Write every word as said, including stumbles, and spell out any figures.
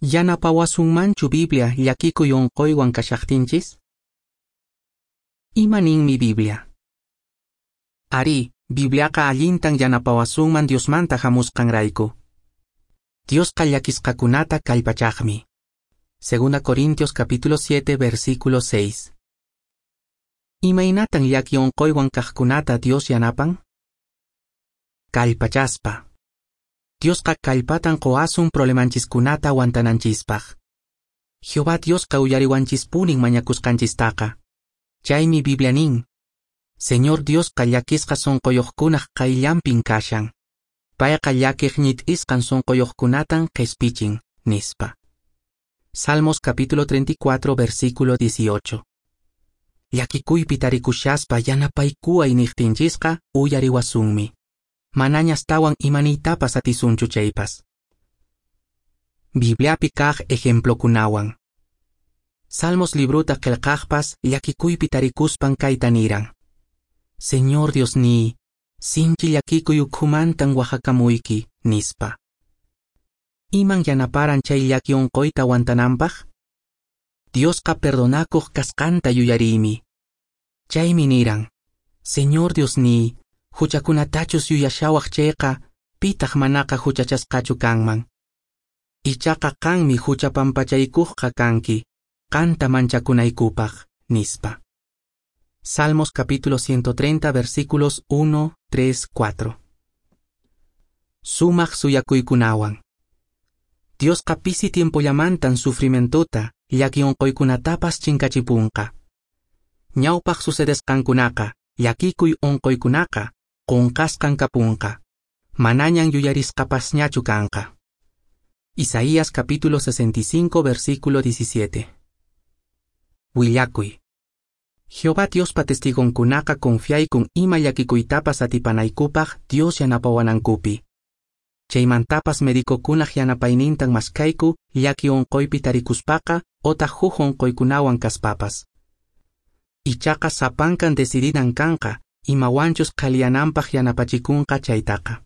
Yanapawasunmanchu Biblia llakikuy onqoywan kashaqtinchis? Ima ninmi Biblia? Arí, Bibliaqa allintan yanapawasunman Diosmanta hamusqanrayku. Diosqa llakisqakunata kallpachaqmi. Segunda Corintios capítulo siete versículo seis. Imaynatan llaki onqoywan kaqkunata Dios yanapan? Kallpachaspa. Diosqa kallpatan qowasun problemanchiskunata aguantananchispaq. Jehová Diosqa uyariwanchispunin mañakusqanchistaqa. Chaymi Biblia nin, Señor Diosqa llakisqa sonqoyuqkunaq qayllanpin kashan. Payqa llakiq ñit'isqan sonqoyuqkunatan qhispichin, nispa. Salmos capítulo treinta y cuatro versículo dieciocho. Llakikuypi tarikushaspa yanapaykuway niqtinchisqa uyariwasunmi. Manaña astawan imaniytapas atisunchu chaypas. Bibliapi kaq ejemplokunawan. Salmos libruta qillqaqpas llakikuypi tarikuspan kayta niran. Señor Diosniy, sinchi llakikuy ukhumantan wahakamuyki, nispa. Iman yanaparan chay llaki onqoyta aguantananpaq? Diosqa perdonakuq kasqanta yuyariymi. Chaymi niran, Señor Diosniy, huchakunatachus yuyashawaq chayqa, pitaq manaqa huchachasqachu kanman. Ichaqa qanmi huchapampachaykuqqa kanki, qanta manchakunaykupaq, nispa. Salmos capítulo ciento treinta versículos uno, tres, cuatro. Sumaq suyakuykunawan. Diosqa pisi tiempollamantan sufrimientuta, llaki onqoykunatapas chinkachipunqa. Ñawpaq sucedesqankunaqa, llakikuy onqoykunaqa, qunqasqan kapunqa. Manañan yuyarisqapasñachu kanqa. Isaías capítulo sesenta y cinco versículo diecisiete. Willakuy. Jehová Diospa testigonkunaqa confiaykun ima llakikuytapas atipanaykupaq Dios yanapawanankupi. Chaymantapas médicokunaq yanapaynintan maskayku llaki onqoypi tarikuspaqa otaq huk onqoykunawan kaspapas. Ichaqa sapankan decidinan kanqa imawanchus qhaliyananpaq yanapachikunqa chaytaqa.